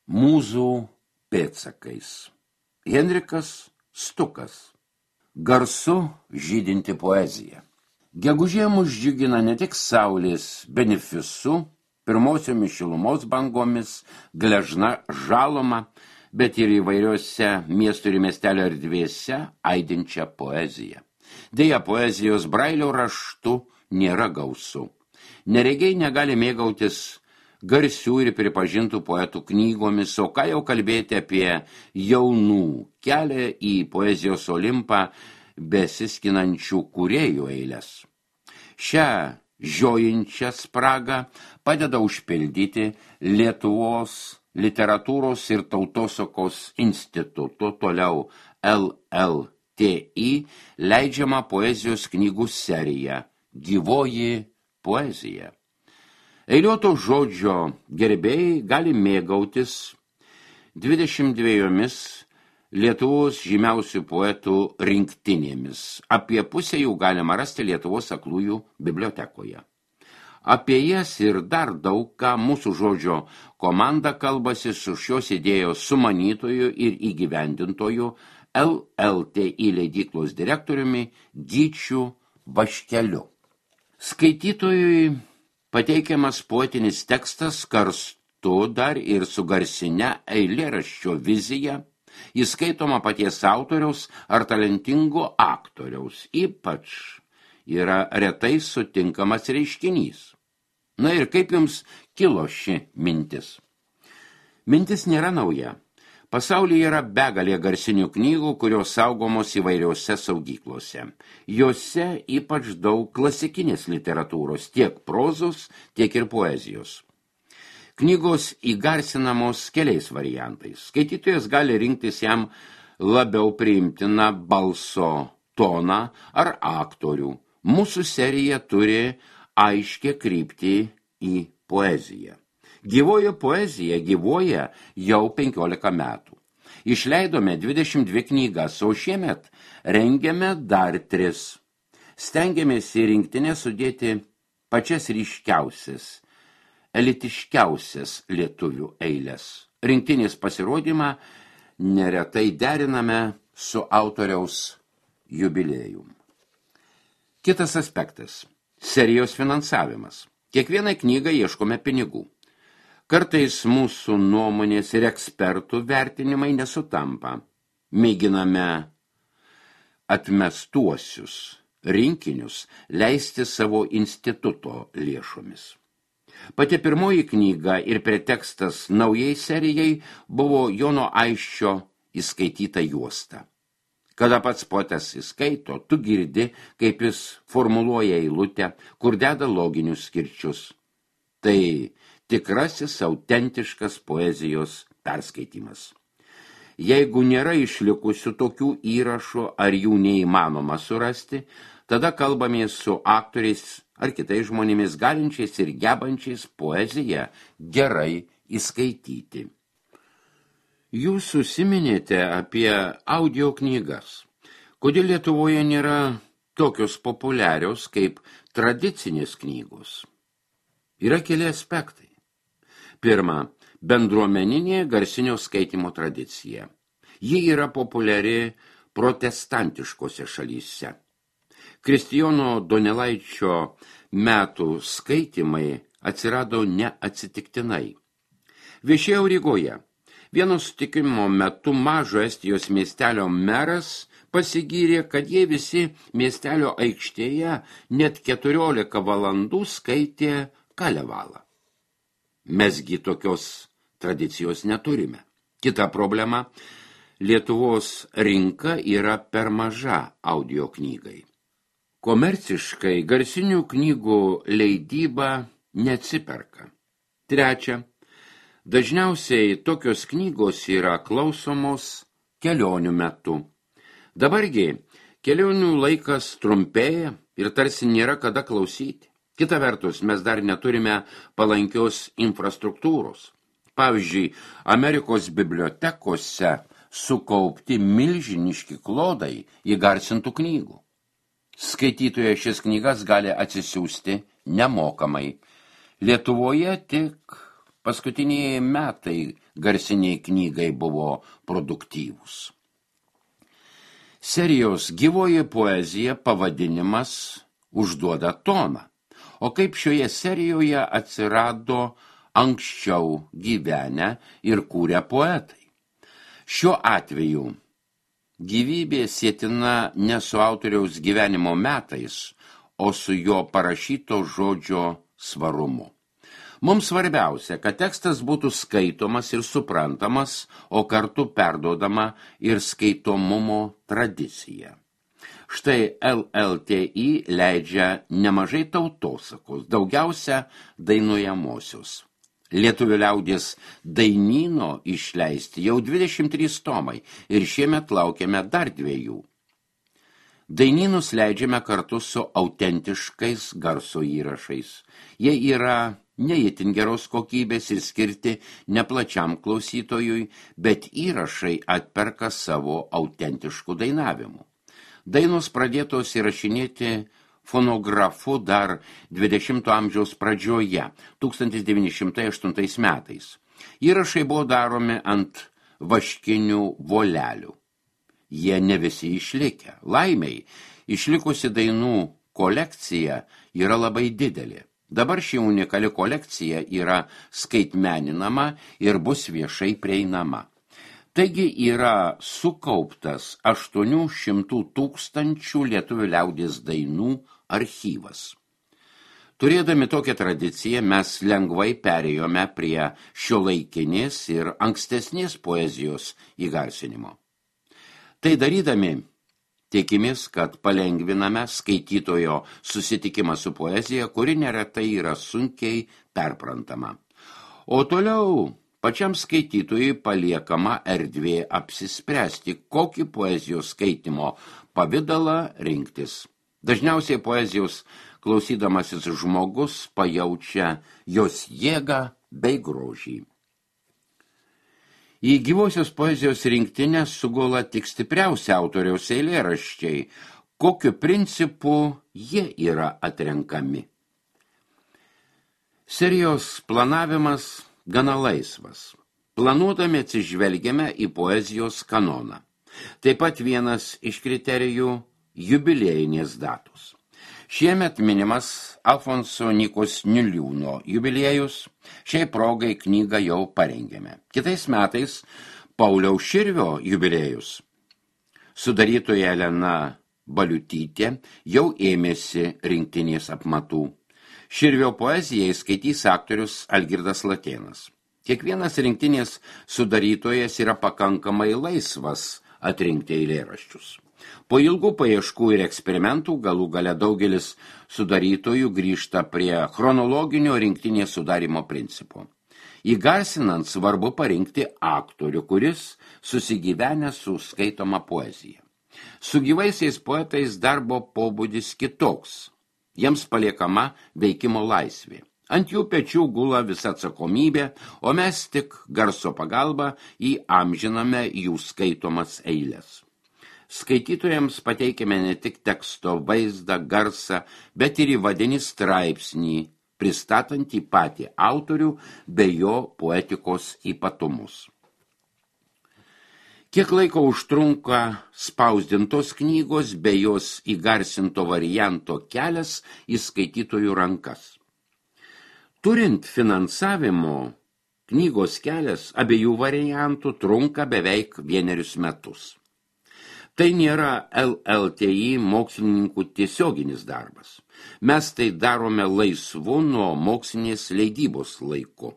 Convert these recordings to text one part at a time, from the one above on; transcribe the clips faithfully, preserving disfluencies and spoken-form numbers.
Mūzų pėdsakais. Henrikas Stukas. Garsu žydinti poezija. Gegužė mus džiugina ne tik saulės benefisu, pirmosiomis šilumos bangomis, gležna žaloma, bet ir įvairiose miestų ir miestelio erdvėse aidinčią poeziją. Deja, poezijos brailio raštu nėra gausu. Neregiai negali mėgautis garsių ir pripažintų poetų knygomis, o ką jau kalbėti apie jaunų kelią į poezijos olimpą besiskinančių kūrėjų eilės. Šią žiojinčią spragą padeda užpildyti Lietuvos literatūros ir tautosakos instituto, toliau L L T I, leidžiama poezijos knygų serija Gyvoji poezija. Eiliuoto žodžio gerbėjai gali mėgautis dvidešimt dviejomis Lietuvos žymiausių poetų rinktinėmis. Apie pusę jų galima rasti Lietuvos aklųjų bibliotekoje. Apie jas ir dar daug ką mūsų žodžio komanda kalbasi su šios idėjos sumanytoju ir įgyvendintoju L L T I leidyklos direktoriumi Gyčiu Vaškeliu. Skaitytojui pateikiamas poetinis tekstas kartu dar ir su garsine eilėraščio vizija, įskaitoma paties autoriaus ar talentingo aktoriaus, ypač yra retai sutinkamas reiškinys. Na ir kaip jums kilo ši mintis? Mintis nėra nauja. Pasaulyje yra begalė garsinių knygų, kurios saugomos įvairiose saugyklose. Jose ypač daug klasikinės literatūros, tiek prozos, tiek ir poezijos. Knygos įgarsinamos keliais variantais. Skaitytojas gali rinktis jam labiau priimtiną balso toną ar aktorių. Mūsų serija turi aiškę kryptį į poeziją. Gyvoji poezija gyvoja jau penkiolika metų. Išleidome dvidešimt dvi knygas, o šiemet rengiame dar tris. Stengiamės į rinktinę sudėti pačias ryškiausias, elitiškiausias lietuvių eilės. Rinktinės pasirodymą neretai deriname su autoriaus jubiliejum. Kitas aspektas – serijos finansavimas. Kiekvienai knygai ieškome pinigų. Kartais mūsų nuomonės ir ekspertų vertinimai nesutampa. Mėginame atmestuosius rinkinius leisti savo instituto lėšomis. Pati pirmoji knyga ir pretekstas naujai serijai buvo Jono Aisčio įskaityta juosta. Kada pats poetas įskaito, tu girdi, kaip jis formuluoja eilutę, kur deda loginius skirčius. Tai tikrasis autentiškas poezijos perskaitimas. Jeigu nėra išlikusių tokių įrašų ar jų neįmanoma surasti, tada kalbamės su aktoriais ar kitais žmonėmis galinčiais ir gebančiais poeziją gerai įskaityti. Jūs užsiminėte apie audio knygas. Kodėl Lietuvoje nėra tokios populiarios kaip tradicinės knygos? Yra keli aspektai. Pirma, bendruomeninė garsinio skaitymo tradicija. Ji yra populiari protestantiškose šalyse. Kristijono Donelaičio metų skaitymai atsirado neatsitiktinai. Viešėjau Rygoje. Vieno sutikimo metu mažo Estijos miestelio meras pasigyrė, kad jie visi miestelio aikštėje net keturiolika valandų skaitė Kalevalą. Mesgi tokios tradicijos neturime. Kita problema – Lietuvos rinka yra per maža audio knygai. Komerciškai garsinių knygų leidyba neatsiperka. Trečia, dažniausiai tokios knygos yra klausomos kelionių metu. Dabargi kelionių laikas trumpėja ir tarsi nėra kada klausyti. Kita vertus, mes dar neturime palankios infrastruktūros. Pavyzdžiui, Amerikos bibliotekose sukaupti milžiniški klodai įgarsintų knygų. Skaitytoje šis knygas gali atsisiųsti nemokamai. Lietuvoje tik paskutiniai metai garsiniai knygai buvo produktyvūs. Serijos gyvoji poezija pavadinimas užduoda toną. O kaip šioje serijoje atsirado anksčiau gyvenę ir kūrę poetai? Šiuo atveju gyvybė sietina ne su autoriaus gyvenimo metais, o su jo parašyto žodžio svarumu. Mums svarbiausia, kad tekstas būtų skaitomas ir suprantamas, o kartu perduodama ir skaitomumo tradicija. Štai L L T I leidžia nemažai tautosakos, daugiausia dainuojamosios. Lietuvių liaudies dainyno išleisti jau dvidešimt trys tomai ir šiemet laukiame dar dviejų. Dainynus leidžiame kartu su autentiškais garso įrašais. Jie yra ne itin geros kokybės ir skirti neplačiam klausytojui, bet įrašai atperka savo autentiškų dainavimų. Dainos pradėtos įrašinėti fonografu dar dvidešimto amžiaus pradžioje, tūkstantis devyni šimtai aštuntais metais. Įrašai buvo daromi ant vaškinių volelių. Jie ne visi išlikę. Laimiai, išlikusi dainų kolekcija yra labai didelė. Dabar ši unikali kolekcija yra skaitmeninama ir bus viešai prieinama. Taigi yra sukauptas aštuonių šimtų tūkstančių lietuvių liaudies dainų archyvas. Turėdami tokią tradiciją, mes lengvai perėjome prie šiuolaikinės ir ankstesnės poezijos įgarsinimo. Tai darydami, tikimės, kad palengviname skaitytojo susitikimą su poezija, kuri neretai yra sunkiai perprantama. O toliau pačiam skaitytojui paliekama erdvė apsispręsti, kokį poezijos skaitimo pavidalą rinktis. Dažniausiai poezijos klausydamasis žmogus pajaučia jos jėgą bei grožį. Į gyvosios poezijos rinktinę sugula tik stipriausi autoriaus eilėraščiai, kokiu principu jie yra atrenkami. Serijos planavimas gana laisvas. Planuodami atsižvelgiame į poezijos kanoną. Taip pat vienas iš kriterijų – jubiliejinės datos. Šiemet minimas Alfonso Nykos Niliūno jubiliejus, šiai progai knygą jau parengėme. Kitais metais Pauliaus Širvio jubiliejus. Sudarytoja Elena Baliutytė jau ėmėsi rinktinės apmatų. Širvio poezijai skaitys aktorius Algirdas Latėnas. Kiekvienas rinktinės sudarytojas yra pakankamai laisvas atrinkti eilėraščius. Po ilgų paieškų ir eksperimentų galų gale daugelis sudarytojų grįžta prie chronologinio rinktinės sudarimo principo. Įgarsinant svarbu parinkti aktorių, kuris susigyvenę su skaitoma poezija. Su gyvaisiais poetais darbo pobūdis kitoks. Jiems paliekama veikimo laisvė. Ant jų pečių gula visa atsakomybė, o mes tik garso pagalba įamžiname jų skaitomas eiles. Skaitytojams pateikėme ne tik teksto vaizdą, garsą, bet ir įvadinį straipsnį, pristatantį patį autorių bei jo poetikos ypatumus. Kiek laiko užtrunka spausdintos knygos bei jos įgarsinto varianto kelias į skaitytojų rankas. Turint finansavimo, knygos kelias abiejų variantų trunka beveik vienerius metus. Tai nėra L L T I mokslininkų tiesioginis darbas. Mes tai darome laisvu nuo mokslinės leidybos laiku.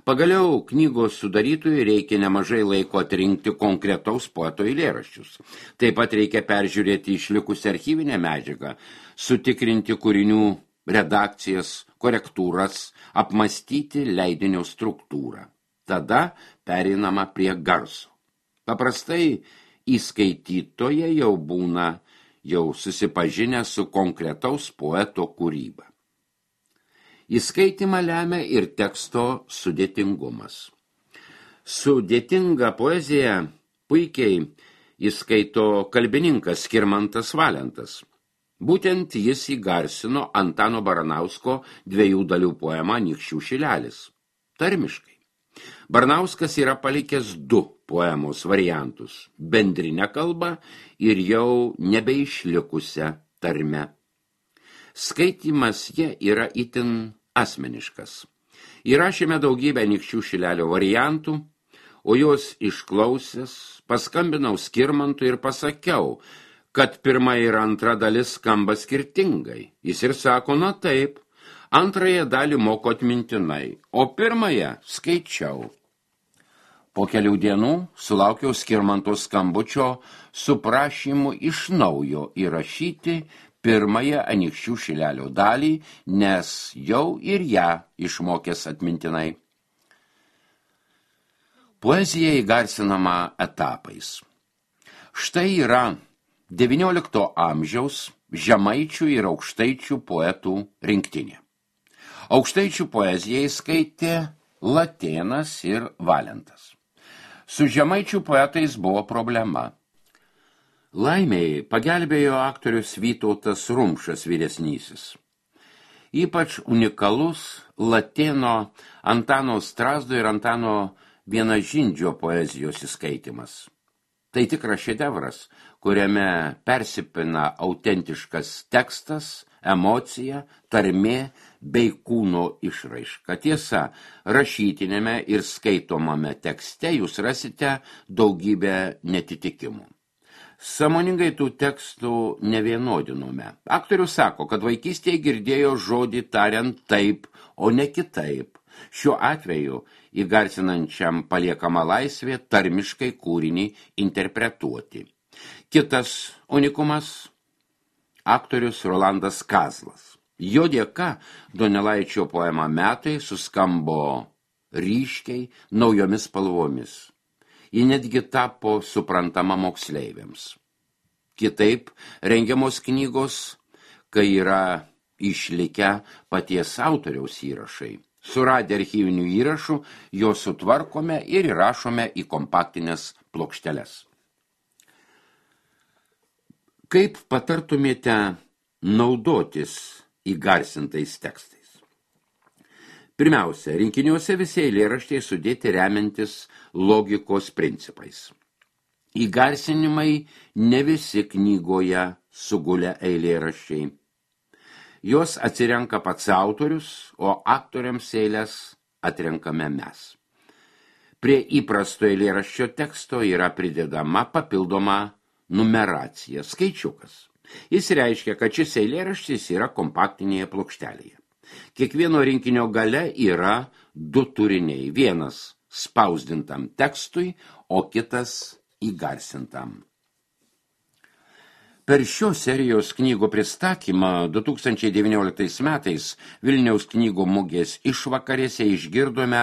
Pagaliau knygos sudarytojui reikia nemažai laiko atrinkti konkretaus poeto eilėraščius. Taip pat reikia peržiūrėti išlikusią archyvinę medžiagą, sutikrinti kūrinių redakcijas, korektūras, apmastyti leidinio struktūrą. Tada pereinama prie garso. Paprastai įskaitytoje jau būna jau susipažinę su konkretaus poeto kūryba. Įskaitymą lemia ir teksto sudėtingumas. Sudėtingą poeziją puikiai įskaito kalbininkas Skirmantas Valentas. Būtent jis įgarsino Antano Baranausko dviejų dalių poemą Anykščių šilelis. tarmiškai. Baranauskas yra palikęs du poemos variantus – bendrinę kalbą ir jau nebeišlikusią tarmę. Skaitymas jie yra itin asmeniškas. Įrašėme daugybę Anykščių šilelio variantų, o juos išklausęs paskambinau Skirmantui ir pasakiau, kad pirma ir antra dalis skamba skirtingai. Jis ir sako, na taip, antrąją dalį moku atmintinai, o pirmąją skaičiau. Po kelių dienų sulaukiau Skirmanto skambučio su prašymu iš naujo įrašyti pirmąją Anykščių šilelio dalį, nes jau ir ją išmokęs atmintinai. Poezija įgarsinama etapais. Štai yra devyniolikto amžiaus žemaičių ir aukštaičių poetų rinktinė. Aukštaičių poezijai skaitė Latėnas ir Valentas. Su žemaičių poetais buvo problema. Laimei pagelbėjo aktorius Vytautas Rumšas vyresnysis. Ypač unikalus Latėno Antano Strazdo ir Antano Vienažindžio poezijos įskaitimas. Tai tikras šedevras, kuriame persipina autentiškas tekstas, emocija, tarmė bei kūno išraiška. Tiesa, rašytinėme ir skaitomame tekste jūs rasite daugybę netitikimų. Sąmoningai tų tekstų nevienodinome. Aktorius sako, kad vaikystėje girdėjo žodį tariant taip, o ne kitaip. Šiuo atveju įgarsinančiam paliekama laisvė tarmiškai kūrinį interpretuoti. Kitas unikumas – aktorius Rolandas Kazlas. Jo dėka Donelaičio poema Metai suskambo ryškiai naujomis spalvomis. Ji netgi tapo suprantama moksleiviams. Kitaip rengiamos knygos, kai yra išlikę paties autoriaus įrašai. Suradę archyvinių įrašų, juos sutvarkome ir įrašome į kompaktinės plokšteles. Kaip patartumėte naudotis įgarsintais tekstais? Pirmiausia, rinkiniuose visi eilėraščiai sudėti remiantis logikos principais. Įgarsinimai ne visi knygoje sugulę eilėraščiai. Jos atsirenka pats autorius, o aktoriams eilės atrenkame mes. Prie įprasto eilėraščio teksto yra pridedama papildoma numeracija, skaičiukas. Jis reiškia, kad šis eilėraštis yra kompaktinėje plokštelėje. Kiekvieno rinkinio gale yra du turiniai. Vienas spausdintam tekstui, o kitas įgarsintam. Per šios serijos knygų pristatymą du tūkstančiai devynioliktais metais Vilniaus knygų mugės išvakarėse išgirdome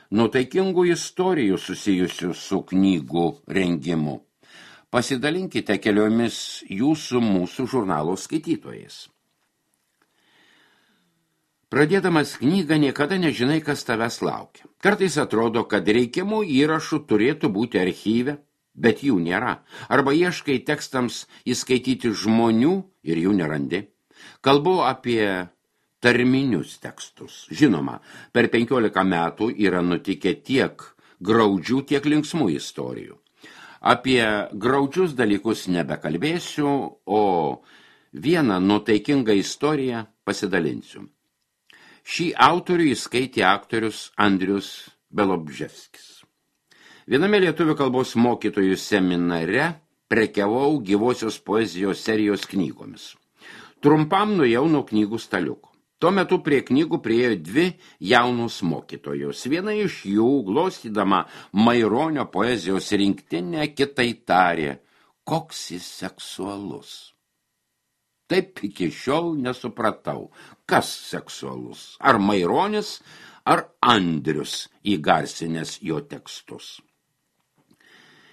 nuotaikingų istorijų susijusių su knygų rengimu. Pasidalinkite keliomis jūsų mūsų žurnalo skaitytojais. Pradėdamas knygą niekada nežinai, kas tavęs laukia. Kartais atrodo, kad reikiamų įrašų turėtų būti archyve, bet jų nėra. Arba ieškai tekstams įskaityti žmonių ir jų nerandi. Kalbu apie tarminius tekstus. Žinoma, per penkiolika metų yra nutikę tiek graudžių, tiek linksmų istorijų. Apie graudžius dalykus nebekalbėsiu, o vieną nuotaikingą istoriją pasidalinsiu. Šį autorių įskaitė aktorius Andrius Belobževskis. Viename lietuvių kalbos mokytojų seminare prekiavau gyvosios poezijos serijos knygomis. Trumpam nuėjau nuo knygų staliuko. Tuo metu prie knygų priėjo dvi jaunus mokytojos. Viena iš jų, glostydama Maironio poezijos rinktinę, kitai tarė, koks jis seksualus. Taip iki šiol nesupratau, kas seksualus, ar Maironis, ar Andrius įgarsinęs jo tekstus.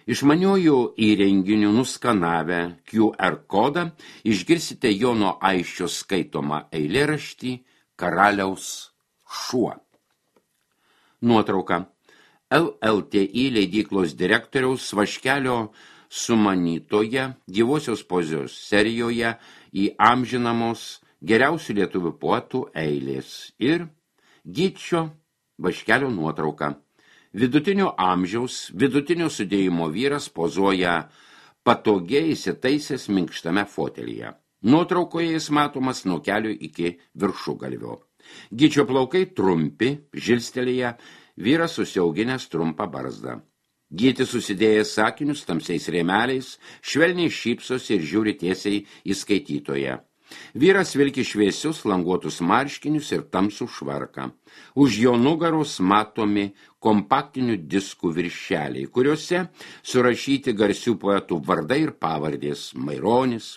Išmaniųjų įrenginių nuskanavę Q R kodą išgirsite Jono Aisčio skaitomą eilėraštį Karaliaus šuo. Nuotrauka. L L T I leidyklos direktoriaus Vaškelio sumanytoje gyvosios poezijos serijoje įamžinamos geriausių lietuvių poetų eilės ir Gyčio Vaškelio nuotrauka. Vidutinio amžiaus, vidutinio sudėjimo vyras pozuoja patogiai įsitaisęs minkštame fotelyje. Nuotraukoje jis matomas nuo kelių iki viršugalvio. Gyčio plaukai trumpi, žilstelėje, vyras susiauginęs trumpą barzdą. Gytis susidėjęs sakinius tamsiais rėmeliais, švelniai šypsosi ir žiūri tiesiai į skaitytoją. Vyras vilki šviesius languotus marškinius ir tamsų švarką. Už jo nugaros matomi kompaktinių diskų viršeliai, kuriuose surašyti garsių poetų vardai ir pavardės: Maironis,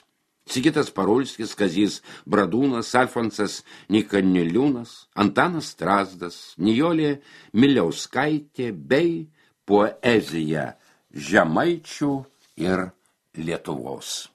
Sigitas Parulskis, Kazys Bradūnas, Alfonsas Nyka Niliūnas, Antanas Strazdas, Nijolė Miliauskaitė bei poezija žemaičių ir Lietuvos.